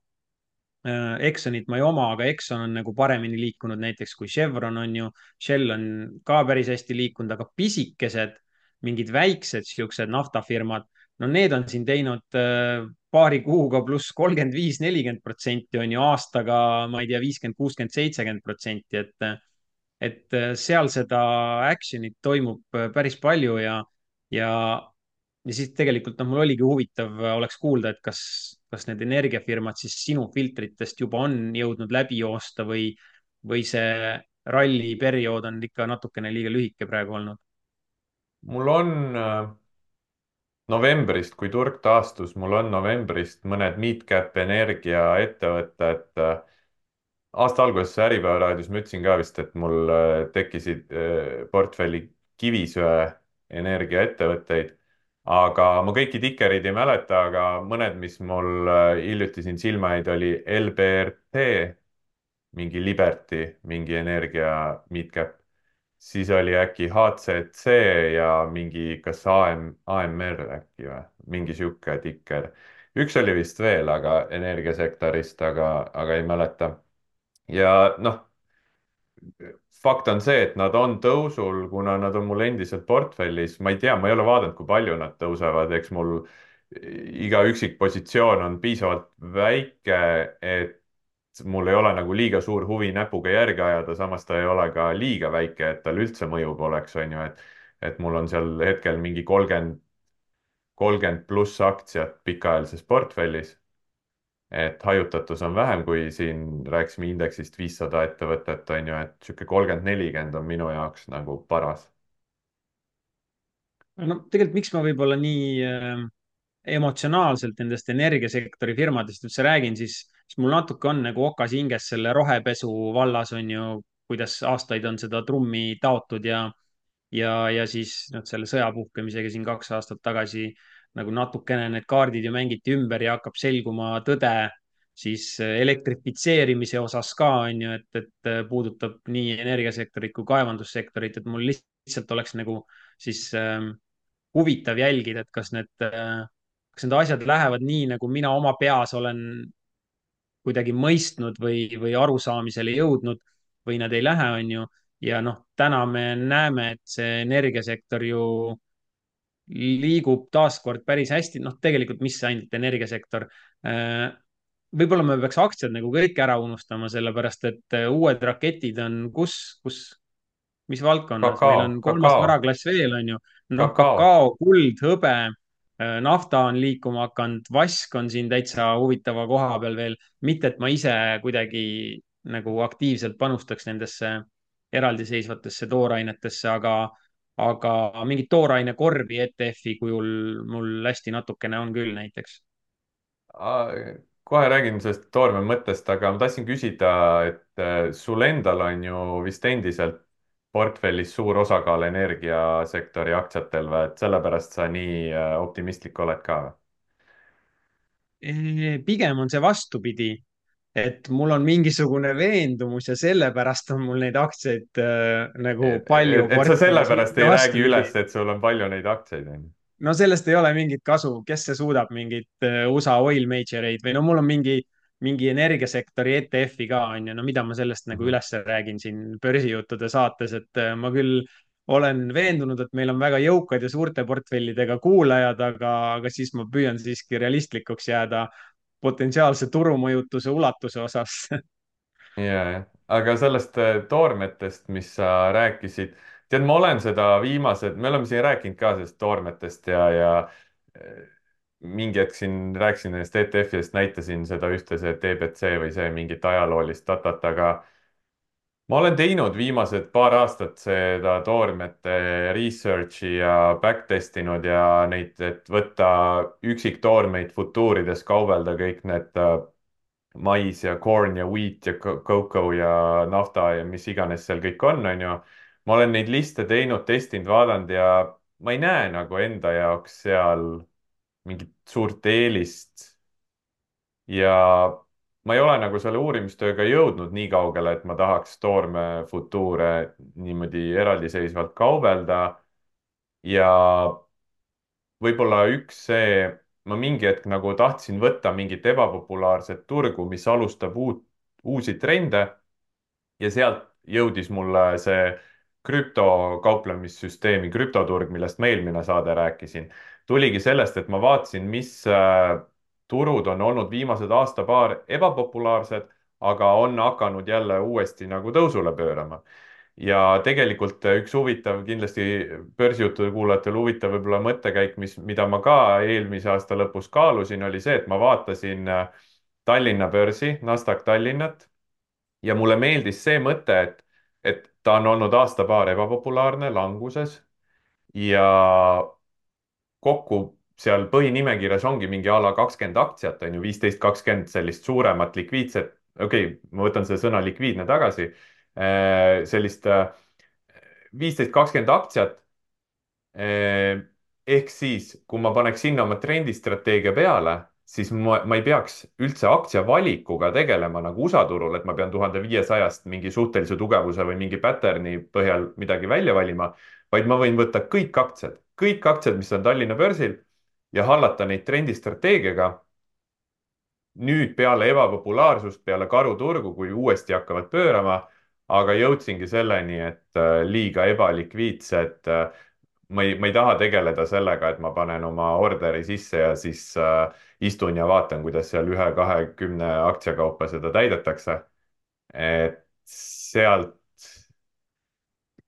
Exxonit ma ei oma, aga Exxon on nagu paremini liikunud näiteks kui Chevron on ju. Shell on ka päris hästi liikunud, aga pisikesed, mingid väiksed siuksed naftafirmad, no need on siin teinud paari kuuga +35-40% on ju, aastaga, ma ei tea, 50-60-70%, et seal seda action'it toimub päris palju ja, ja siis tegelikult noh, mul oligi huvitav oleks kuulda, et kas need energiafirmad siis sinu filtritest juba on jõudnud läbi joosta või see ralliperiood on ikka natukene liiga lühike praegu olnud. mul on novembrist, kui turg taastus, mul on novembrist mõned mid-cap energiaettevõtted. aasta alguses Äripäeva raadios ma ütlesin ka vist, et mul tekkisid portfelli kivisöe energiaettevõtteid, aga ma kõiki tikereid ei mäleta, aga mõned, mis mul hiljuti siin silma jäid, oli LBRT, mingi Liberty, mingi energia mid-cap, siis oli äkki HCC ja mingi, kas AMR äkki või, mingi sihuke tikker. üks oli vist veel, aga energiasektorist, aga ei mäleta. ja noh, fakt on see, et nad on tõusul, kuna nad on mul endiselt portfellis. ma ei tea, ma ei ole vaadanud, kui palju nad tõusevad, eks mul iga üksik positsioon on piisavalt väike, et mul ei ole nagu liiga suur huvi näpuga järge ajada, samas ta ei ole ka liiga väike, et tal üldse mõju poleks, on ju, et mul on seal hetkel mingi 30 pluss aktsiat pikaajalises portfellis. Et hajutatus on vähem, kui siin rääkisime indeksist 500 ettevõtet, on ju, et sihuke 30-40 on minu jaoks nagu paras. no tegelikult, miks ma võib-olla nii emotsionaalselt nendest energiasektori firmadest üldse räägin, siis mul natuke on nagu okas hinges selle rohepesu vallas on ju, kuidas aastaid on seda trummi taotud ja siis noh, selle sõja puhkemisega siin 2 aastat tagasi nagu natukene need kaardid ju mängiti ümber ja hakkab selguma tõde siis elektrifitseerimise osas ka on ju, et puudutab nii energiasektorit kui kaevandussektorit, et mul lihtsalt oleks nagu siis huvitav jälgida, et kas need asjad lähevad nii, nagu mina oma peas olen kuidagi mõistnud või arusaamisele jõudnud. või nad ei lähe, on ju. ja noh, täna me näeme, et see energiasektor ju liigub taaskord päris hästi, noh, tegelikult mis ainult energiasektor. võib-olla me peaks aktsiad nagu kõik ära unustama, sellepärast et uued raketid on kus, mis valdkonnas, meil kakao, on kolmas kakao, varaklass veel, on ju. noh, kakao. kakao, kuld, hõbe, nafta on liikuma hakanud, vask on siin täitsa huvitava koha peal veel. mitte, et ma ise kuidagi nagu aktiivselt panustaks nendesse eraldiseisvatesse toorainetesse, aga mingit toorainekorvi ETF-i kujul mul hästi natukene on küll näiteks. Kohe räägin sellest toorme mõttest, aga ma tahtsin küsida, et sul endal on ju vist endiselt portfellis suur osakaal energiasektori aktsiatel või, et sellepärast sa nii optimistlik oled ka või? Pigem on see vastupidi, et mul on mingisugune veendumus ja sellepärast on mul neid aktsiaid nagu palju Et sa portfellis, sellepärast mitte ei räägi vastupidi. üles, et sul on palju neid aktsiaid, on ju? No sellest ei ole mingit kasu, kes see suudab mingit USA oil major eid või no mul on mingi energiasektori ETF-i ka on ju, no mida ma sellest nagu Mhm. üles räägin siin börsijuttude saates, et ma küll olen veendunud, et meil on väga jõukad ja suurte portfellidega kuulajad, aga siis ma püüan siiski realistlikuks jääda potentsiaalse turumõjutuse ulatuse osas. Jaa, aga sellest toormetest, mis sa rääkisid, tead, ma olen seda me oleme siin rääkinud ka sellest toormetest ja eh, mingi hetk siin rääkisin nendest ETF-idest, näitasin seda ühte, see DBC või see mingit ajaloolist datat, aga ma olen teinud viimased paar aastat seda toormete research'i ja backtest inud ja neid, et võtta üksiktoormeid futuurides, kaubelda kõik need mais ja corn ja wheat ja cocoa ja nafta ja mis iganes seal kõik on ju. ma olen neid liste teinud, testinud, vaadanud ja ma ei näe nagu enda jaoks seal mingit suurt eelist. ja ma ei ole nagu selle uurimistööga jõudnud nii kaugele, et ma tahaks toorme futuure niimoodi eraldiseisvalt kaubelda. ja võib-olla üks see, ma mingi hetk nagu tahtsin võtta mingit ebapopulaarset turgu, mis alustab uusi trende ja sealt jõudis mulle see krüptokauplemissüsteemi, krüptoturg, millest ma eelmine saade rääkisin. tuligi sellest, et ma vaatasin, mis turud on olnud viimased aasta-paar ebapopulaarsed, aga on hakanud jälle uuesti nagu tõusule pöörama ja tegelikult üks huvitav, kindlasti börsijuttude kuulajatel huvitav võib-olla mõttekäik, mida ma ka eelmise aasta lõpus kaalusin, oli see, et ma vaatasin Tallinna börsi, Nasdaq Tallinnat ja mulle meeldis see mõte, et ta on olnud aasta-paar ebapopulaarne, languses ja kokku seal põhinimekirjas ongi mingi a la 20 aktsiat, on ju, 15, 20 sellist suuremat likviidset, okei okay,, ma võtan selle sõna likviidne tagasi, sellist 15, 20 aktsiat. ehk siis, kui ma paneks sinna oma trendistrateegia peale, siis ma ei peaks üldse aktsiavalikuga tegelema nagu USA turul, et ma pean 1500-st mingi suhtelise tugevuse või mingi pattern'i põhjal midagi välja valima, vaid ma võin võtta kõik aktsiad, mis on Tallinna börsil ja hallata neid trendistrateegiaga nüüd peale ebapopulaarsust, peale karuturgu, kui uuesti hakkavad pöörama, aga jõudsingi selleni, et liiga ebalikviidsed. Ma ei taha tegeleda sellega, et ma panen oma orderi sisse ja siis istun ja vaatan, kuidas seal 1, 2, 10 aktsia kaupa seda täidetakse. et sealt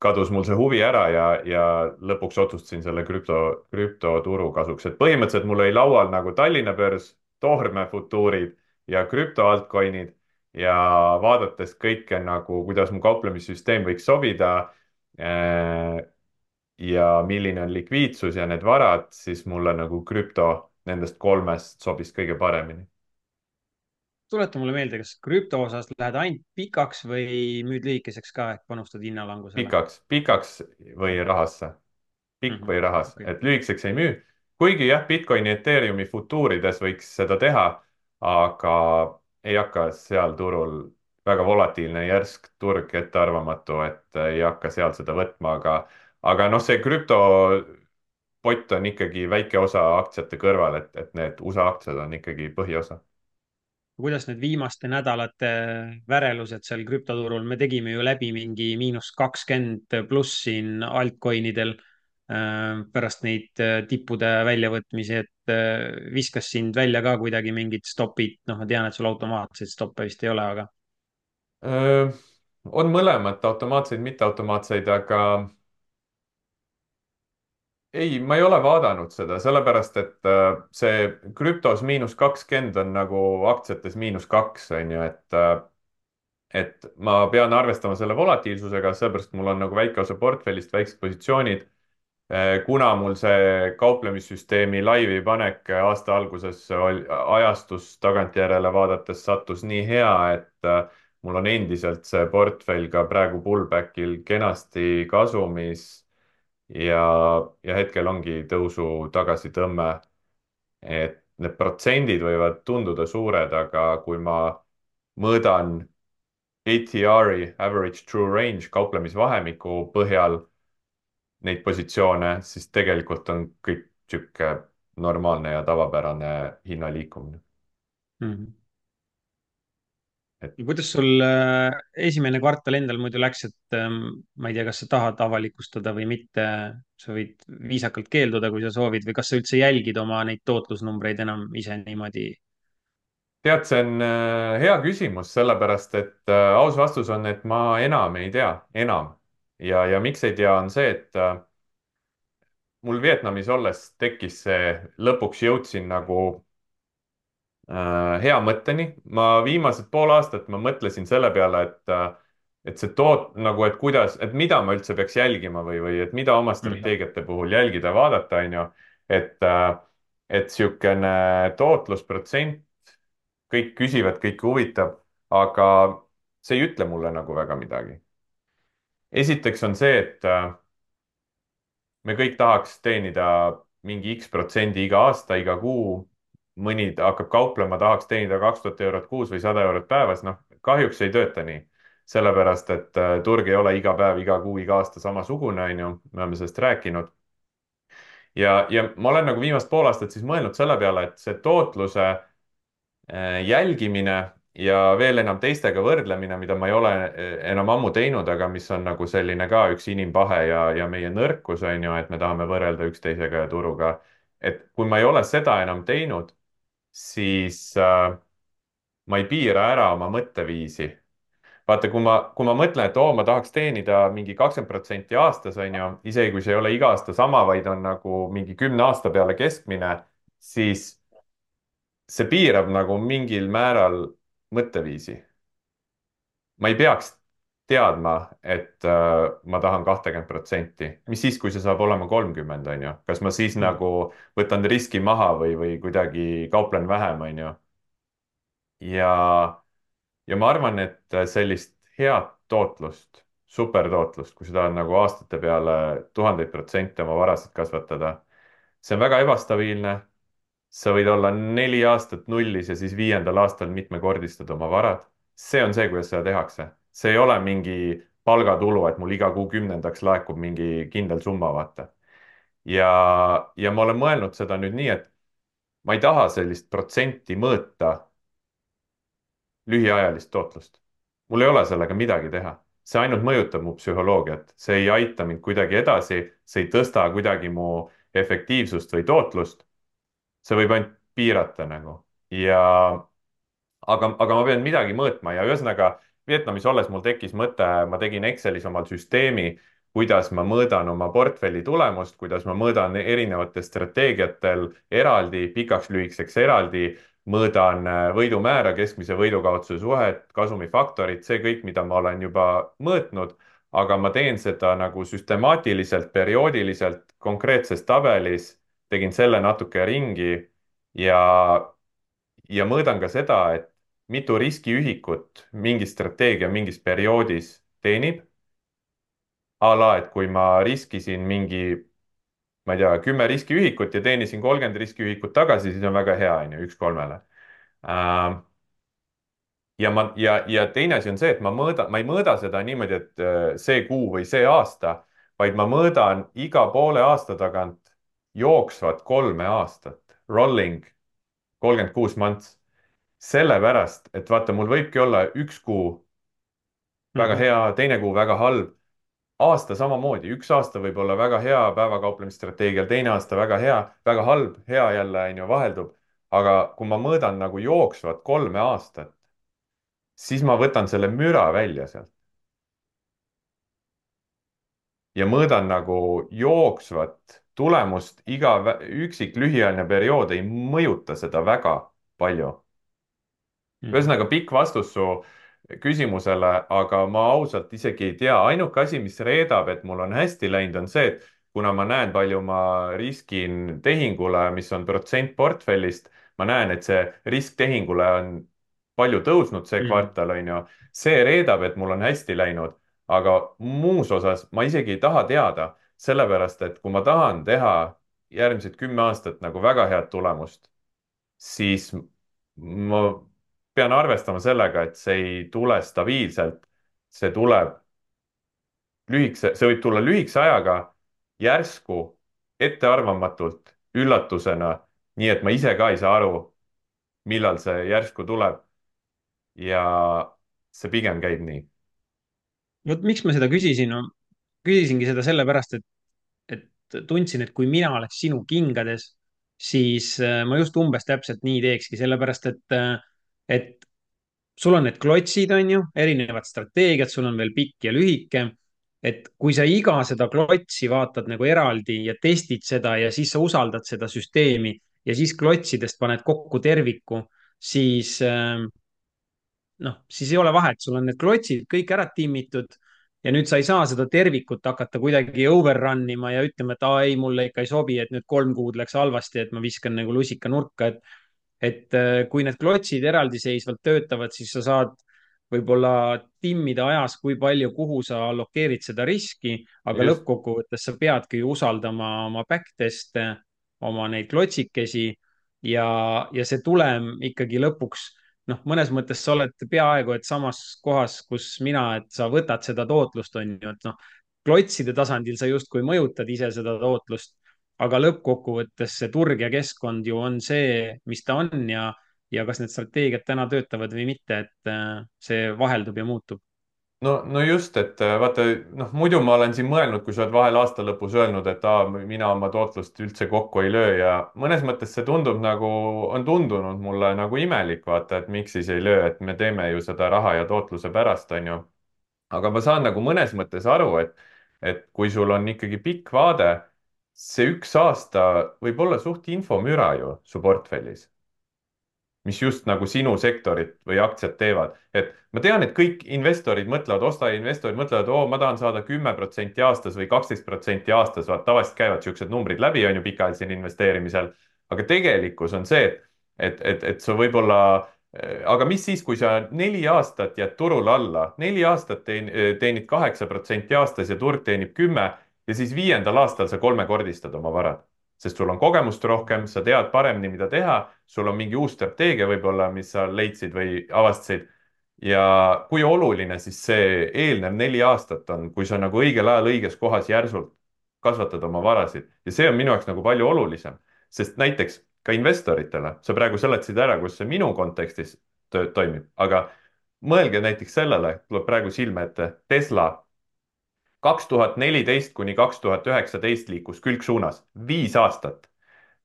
kadus mul see huvi ära ja lõpuks otsustasin selle krüptoturu kasuks, et põhimõtteliselt mul oli laual nagu Tallinna börs, toormefutuurid ja krüptoaltcoin'id ja vaadates kõike nagu, kuidas mu kauplemissüsteem võiks sobida ja milline on likviidsus ja need varad, siis mulle nagu krüpto nendest kolmest sobis kõige paremini. tuleta mulle meelde, kas krüpto osas lähed ainult pikaks või müüd lühikeseks ka, et panustad hinnalangusele? pikaks või rahasse? Pikk või rahas, Okei. et lühikeseks ei müü. kuigi jah, Bitcoini, Ethereumi futuurides võiks seda teha, aga ei hakka seal turul, väga volatiilne, järsk turg, ettearvamatu, et ei hakka seal seda võtma, aga noh, see krüptopott on ikkagi väike osa aktsiate kõrval, et need USA aktsiad on ikkagi põhiosa. kuidas need viimaste nädalate värelused seal krüptoturul, me tegime ju läbi mingi –20+ siin altcoin'idel pärast neid tippude väljavõtmisi, et viskas sind välja ka kuidagi mingid stopid, noh, ma tean, et sul automaatseid stoppe vist ei ole, aga. Öö, on mõlemat, automaatseid, mitteautomaatseid, aga ei, ma ei ole vaadanud seda, sellepärast et see krüptos –20 on nagu aktsiates –2, on ju, et ma pean arvestama selle volatiilsusega, sellepärast mul on nagu väike osa portfellist, väiksed positsioonid. Kuna mul see kauplemissüsteemi laivi panek aasta alguses ajastus tagantjärele vaadates sattus nii hea, et mul on endiselt see portfell ka praegu pullback'il kenasti kasumis ja, ja hetkel ongi tõusu tagasitõmme. Et need protsendid võivad tunduda suured, aga kui ma mõõdan ATR-i, average true range kauplemisvahemiku põhjal neid positsioone, siis tegelikult on kõik sihuke normaalne ja tavapärane hinna liikumine. Mhm. Et Ja kuidas sul esimene kvartal endal muidu läks, et ma ei tea, kas sa tahad avalikustada või mitte, sa võid viisakalt keelduda, kui sa soovid, või kas sa üldse jälgid oma neid tootlusnumbreid enam ise niimoodi? tead, see on hea küsimus, sellepärast et aus vastus on, et ma enam ei tea, enam. Ja miks ei tea, on see, et mul Vietnamis olles tekkis see, lõpuks jõudsin nagu hea mõtteni. ma viimased pool aastat ma mõtlesin selle peale, et see nagu, et kuidas, et mida ma üldse peaks jälgima või et mida oma Mhm. strateegiate puhul jälgida, vaadata, on ju. Et niisugune tootlusprotsent, kõik küsivad, kõiki huvitab, aga see ei ütle mulle nagu väga midagi. esiteks on see, et me kõik tahaks teenida mingi X protsendi iga aasta, iga kuu. mõni hakkab kauplema, tahaks teenida 2000 eurot kuus või 100 eurot päevas, noh, kahjuks ei tööta nii. sellepärast, et turg ei ole iga päev, iga kuu, iga aasta samasugune, on ju, me oleme sellest rääkinud. ja ma olen nagu viimast pool aastat siis mõelnud selle peale, et see tootluse jälgimine ja veel enam teistega võrdlemine, mida ma ei ole enam ammu teinud, aga mis on nagu selline ka üks inimpahe ja meie nõrkus on ju, et me tahame võrrelda üksteisega ja turuga. et kui ma ei ole seda enam teinud, siis ma ei piira ära oma mõtteviisi. vaata, kui ma mõtlen, et oo, ma tahaks teenida mingi 20% aastas, on ju, isegi kui see ei ole iga aasta sama, vaid on nagu mingi 10 aasta peale keskmine, siis see piirab nagu mingil määral mõtteviisi. Ma ei peaks teadma, et ma tahan 20%, mis siis, kui see saab olema 30, on ju, kas ma siis Mhm. nagu võtan riski maha või kuidagi kauplen vähem, on ju. ja, ja ma arvan, et sellist head tootlust, supertootlust, kui seda on nagu aastate peale tuhandeid protsente oma varasid kasvatada, see on väga ebastabiilne. sa võid olla 4 aastat nullis ja siis 5. aastal mitmekordistad oma varad. see on see, kuidas seda tehakse. see ei ole mingi palgatulu, et mul iga kuu 10. laekub mingi kindel summa, vaata. ja ma olen mõelnud seda nüüd nii, et ma ei taha sellist protsenti mõõta lühiajalist tootlust. mul ei ole sellega midagi teha. see ainult mõjutab mu psühholoogiat, see ei aita mind kuidagi edasi, see ei tõsta kuidagi mu efektiivsust või tootlust. see võib ainult piirata nagu. Aga ma pean midagi mõõtma ja ühesõnaga Vietnamis olles mul tekkis mõte, ma tegin Excelis omal süsteemi, kuidas ma mõõdan oma portfelli tulemust, kuidas ma mõõdan erinevatel strateegiatel eraldi, pikaks-lühikeseks eraldi, mõõdan võidumäära, keskmise võidukaotuse suhet, kasumifaktorit, see kõik, mida ma olen juba mõõtnud, aga ma teen seda nagu süstemaatiliselt, perioodiliselt, konkreetses tabelis, tegin selle natuke ringi ja mõõdan ka seda, et mitu riskiühikut mingi strateegia mingis perioodis teenib. A la, et kui ma riskisin mingi, ma ei tea, 10 riskiühikut ja teenisin 30 riskiühikut tagasi, siis on väga hea, on ju, 1/3. Ja teine asi on see, et ma ei mõõda seda niimoodi, et see kuu või see aasta, vaid ma mõõdan iga poole aasta tagant jooksvat 3 aastat, rolling 36 months. sellepärast, et vaata, mul võibki olla üks kuu väga Mhm. hea, teine kuu väga halb, aasta samamoodi, üks aasta võib olla väga hea päevakauplemisstrateegial, teine aasta väga hea, väga halb, hea jälle, on ju, vaheldub. aga kui ma mõõdan nagu jooksvat 3 aastat, siis ma võtan selle müra välja sealt ja mõõdan nagu jooksvat tulemust, iga üksik lühiajaline periood ei mõjuta seda väga palju. Mhm. ühesõnaga pikk vastus su küsimusele, aga ma ausalt isegi ei tea, ainuke asi, mis reedab, et mul on hästi läinud, on see, et kuna ma näen, palju ma riskin tehingule, mis on protsent portfellist, ma näen, et see risk tehingule on palju tõusnud see Mhm. kvartal, on ju, see reedab, et mul on hästi läinud, aga muus osas ma isegi ei taha teada, sellepärast et kui ma tahan teha järgmised 10 aastat nagu väga head tulemust, siis ma pean arvestama sellega, et see ei tule stabiilselt. see tuleb see võib tulla lühikese ajaga, järsku, ettearvamatult, üllatusena, nii et ma ise ka ei saa aru, millal see järsku tuleb. ja see pigem käib nii. vot miks ma seda küsisin, no küsisingi seda sellepärast, et tundsin, et kui mina oleks sinu kingades, siis ma just umbes täpselt nii teekski, sellepärast et sul on need klotsid, on ju, erinevad strateegiad, sul on veel pikk ja lühike. et kui sa iga seda klotsi vaatad nagu eraldi ja testid seda ja siis sa usaldad seda süsteemi ja siis klotsidest paned kokku terviku, siis siis ei ole vahet, sul on need klotsid kõik ära timmitud ja nüüd sa ei saa seda tervikut hakata kuidagi overrun ima ja ütlema, et aa ei, mulle ikka ei sobi, et nüüd 3 kuud läks halvasti, et ma viskan nagu lusika nurka, et kui need klotsid eraldiseisvalt töötavad, siis sa saad võib-olla timmida ajas, kui palju, kuhu sa allokeerid seda riski, aga just. lõppkokkuvõttes sa peadki usaldama oma backtest'e, oma neid klotsikesi ja see tulem ikkagi lõpuks, mõnes mõttes sa oled peaaegu et samas kohas, kus mina, et sa võtad seda tootlust, on ju, et klotside tasandil sa justkui mõjutad ise seda tootlust, aga lõppkokkuvõttes see turg ja keskkond ju on see, mis ta on ja kas need strateegiad täna töötavad või mitte, et see vaheldub ja muutub. no just, et vaata, noh, muidu ma olen siin mõelnud, kui sa oled vahel aasta lõpus öelnud, et mina oma tootlust üldse kokku ei löö ja mõnes mõttes see tundub nagu, on tundunud mulle nagu imelik, vaata, et miks siis ei löö, et me teeme ju seda raha ja tootluse pärast, on ju. aga ma saan nagu mõnes mõttes aru, et kui sul on ikkagi pikk vaade, see üks aasta võib olla suht infomüra ju su portfellis, mis just nagu sinu sektorit või aktsiat teevad. et ma tean, et kõik investorid mõtlevad, ostajainvestorid mõtlevad, oo, ma tahan saada 10% aastas või 12% aastas, vaat tavaliselt käivad siuksed numbrid läbi, on ju, pikaajalisel investeerimisel. aga tegelikkus on see, et sa võib-olla, aga mis siis, kui sa 4 aastat jääd turul alla, 4 aastat teenid 8% aastas ja turg teenib 10 ja siis 5. aastal sa kolmekordistad oma varad, sest sul on kogemust rohkem, sa tead paremini, mida teha, sul on mingi uus strateegia võib-olla, mis sa leidsid või avastasid. ja kui oluline siis see eelnev 4 aastat on, kui sa nagu õigel ajal õiges kohas järsult kasvatad oma varasid ja see on minu jaoks nagu palju olulisem, sest näiteks ka investoritele, sa praegu seletasid ära, kus see minu kontekstis toimib, aga mõelge näiteks sellele, tuleb praegu silme ette, Tesla 2014 kuni 2019 liikus külgsuunas, 5 aastat.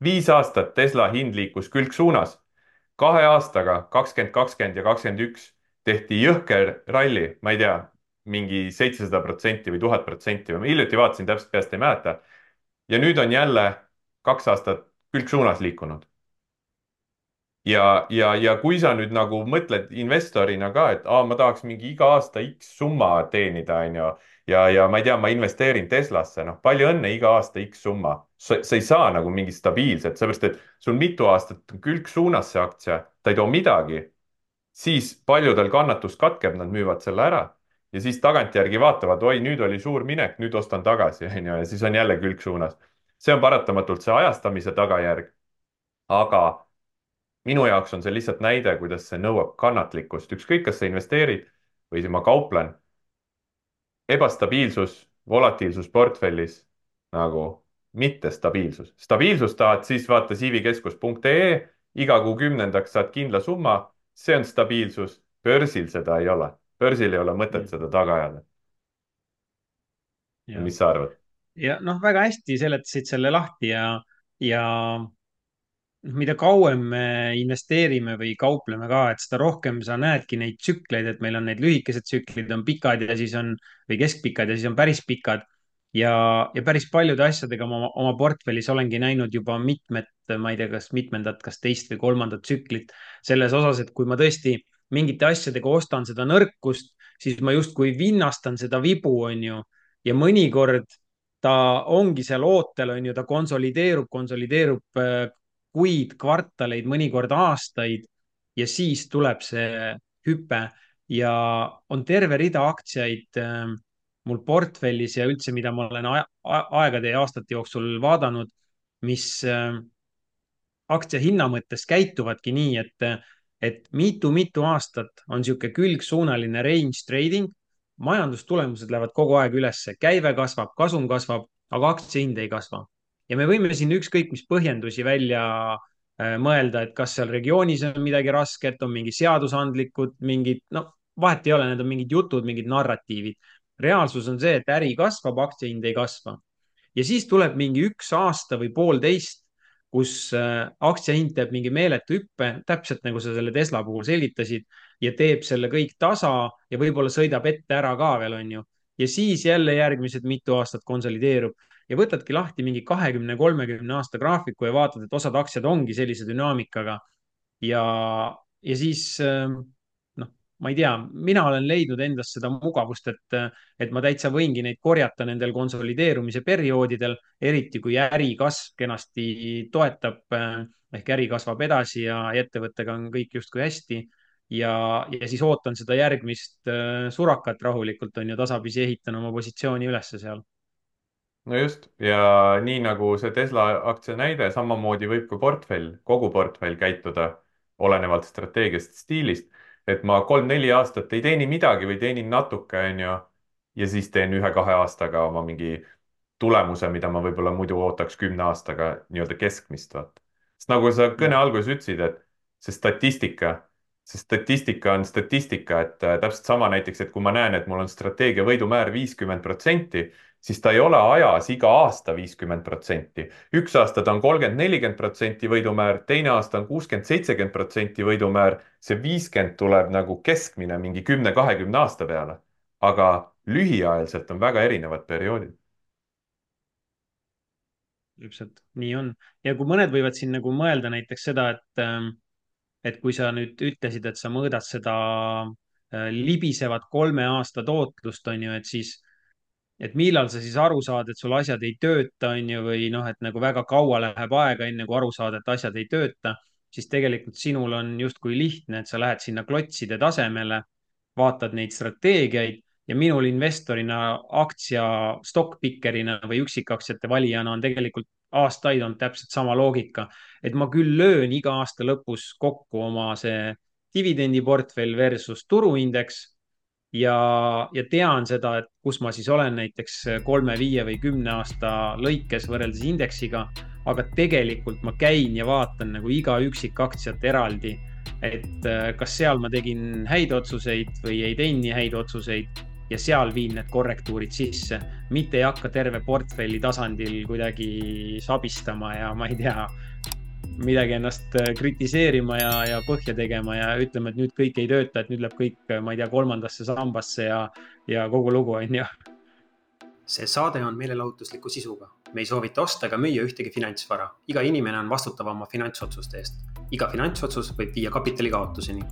5 aastat Tesla hind liikus külgsuunas. 2 aastaga, 2020, 2020 ja 2021 tehti jõhker ralli, ma ei tea, mingi 700% või 1000%, ma hiljuti vaatasin, täpselt peast ei mäleta. ja nüüd on jälle 2 aastat külgsuunas liikunud ja kui sa nüüd nagu mõtled investorina ka, et ma tahaks mingi iga aasta X summa teenida, on ju, ja ma ei tea, ma investeerin Teslasse, noh, palju õnne, iga aasta X summa. sa ei saa nagu mingit stabiilset, sellepärast et sul mitu aastat on külgsuunas see aktsia, ta ei too midagi, siis paljudel kannatus katkeb, nad müüvad selle ära ja siis tagantjärgi vaatavad, oi, nüüd oli suur minek, nüüd ostan tagasi, on ju, ja siis on jälle külgsuunas. see on paratamatult see ajastamise tagajärg, aga minu jaoks on see lihtsalt näide, kuidas see nõuab kannatlikkust, ükskõik, kas sa investeerid või ma kauplen. Ebastabiilsus, volatiilsus portfellis nagu mittestabiilsus. stabiilsust tahad, siis vaata siivikeskus.ee, iga kuu 10. saad kindla summa see on stabiilsus, börsil seda ei ole. börsil ei ole mõtet seda taga ajada. ja, Mis sa arvad? ja noh, väga hästi seletasid selle lahti ja mida kauem me investeerime või kaupleme ka, et seda rohkem sa näedki neid tsükleid, et meil on need lühikesed tsüklid, on pikad ja siis on, või keskpikad ja siis on päris pikad. Ja päris paljude asjadega ma oma portfellis olengi näinud juba mitmed, ma ei tea, kas mitmendat, kas teist või kolmandat tsüklit selles osas, et kui ma tõesti mingite asjadega ostan seda nõrkust, siis ma justkui vinnastan seda vibu, on ju. ja mõnikord ta ongi seal ootel, on ju, ta konsolideerub kuid, kvartaleid, mõnikord aastaid ja siis tuleb see hüpe ja on terve rida aktsiaid mul portfellis ja üldse, mida ma olen aegade ja aastate jooksul vaadanud, mis aktsia hinna mõttes käituvadki nii, et mitu-mitu aastat on niisugune külgsuunaline range trading, majandustulemused lähevad kogu aeg ülesse, käive kasvab, kasum kasvab, aga aktsia hind ei kasva. ja me võime siin ükskõik mis põhjendusi välja mõelda, et kas seal regioonis on midagi rasket, on mingi seadusandlikud, mingid, no vahet ei ole, need on mingid jutud, mingid narratiivid. reaalsus on see, et äri kasvab, aktsia hind ei kasva ja siis tuleb mingi üks aasta või poolteist, kus aktsia hind teeb mingi meeletu hüppe, täpselt nagu sa selle Tesla puhul selgitasid ja teeb selle kõik tasa ja võib-olla sõidab ette ära ka veel, on ju. ja siis jälle järgmised mitu aastat konsolideerub ja võtadki lahti mingi 20-30 aasta graafiku ja vaatad, et osad aktsiad ongi sellise dünaamikaga ja, ja siis noh, ma ei tea, mina olen leidnud endas seda mugavust, et ma täitsa võingi neid korjata nendel konsolideerumise perioodidel, eriti kui äri kasv kenasti toetab ehk äri kasvab edasi ja ettevõttega on kõik justkui hästi. ja siis ootan seda järgmist surakat rahulikult, on ju, tasapisi ehitan oma positsiooni ülesse seal. no just, ja nii nagu see Tesla aktsia näide, samamoodi võib ka portfell, kogu portfell käituda olenevalt strateegiast, stiilist. et ma 3-4 aastat ei teeni midagi või teenin natuke, onju, ja siis teen 1-2 aastaga oma mingi tulemuse, mida ma võib-olla muidu ootaks 10 aastaga nii-öelda keskmist, vaata. sest nagu sa kõne ja, alguses ütlesid, et see statistika, see statistika on statistika, et täpselt sama näiteks, et kui ma näen, et mul on strateegia võidumäär 50%, siis ta ei ole ajas iga aasta 50%. üks aasta ta on 30-40% võidumäär, teine aasta on 60-70% võidumäär. see 50 tuleb nagu keskmine mingi 10-20 aasta peale. aga lühiajaliselt on väga erinevad perioodid. täpselt nii on. ja kui mõned võivad siin nagu mõelda näiteks seda, et kui sa nüüd ütlesid, et sa mõõdad seda libisevat 3 aasta tootlust, on ju, et siis, et millal sa siis aru saad, et sul asjad ei tööta, on ju, või noh, et nagu väga kaua läheb aega, enne kui aru saada, et asjad ei tööta, siis tegelikult sinul on justkui lihtne, et sa lähed sinna klotside tasemele, vaatad neid strateegiaid ja minul investorina, aktsia stock-picker'ina või üksikaktsiate valijana on tegelikult aastaid olnud täpselt sama loogika, et ma küll löön iga aasta lõpus kokku oma see dividendiportfell versus turuindeks ja tean seda, et kus ma siis olen näiteks 3, 5 või 10 aasta lõikes võrreldes indeksiga, aga tegelikult ma käin ja vaatan nagu iga üksikaktsiat eraldi, et kas seal ma tegin häid otsuseid või ei teinud nii häid otsuseid ja seal viin need korrektuurid sisse, mitte ei hakka terve portfelli tasandil kuidagi sabistama ja ma ei tea, midagi ennast kritiseerima ja põhja tegema ja ütlema, et nüüd kõik ei tööta, et nüüd läheb kõik, ma ei tea, kolmandasse sambasse ja kogu lugu, on ju. See saade on meelelahutusliku sisuga. Me ei soovita osta ega müüa ühtegi finantsvara. Iga inimene on vastutav oma finantsotsuste eest. Iga finantsotsus võib viia kapitali kaotuseni.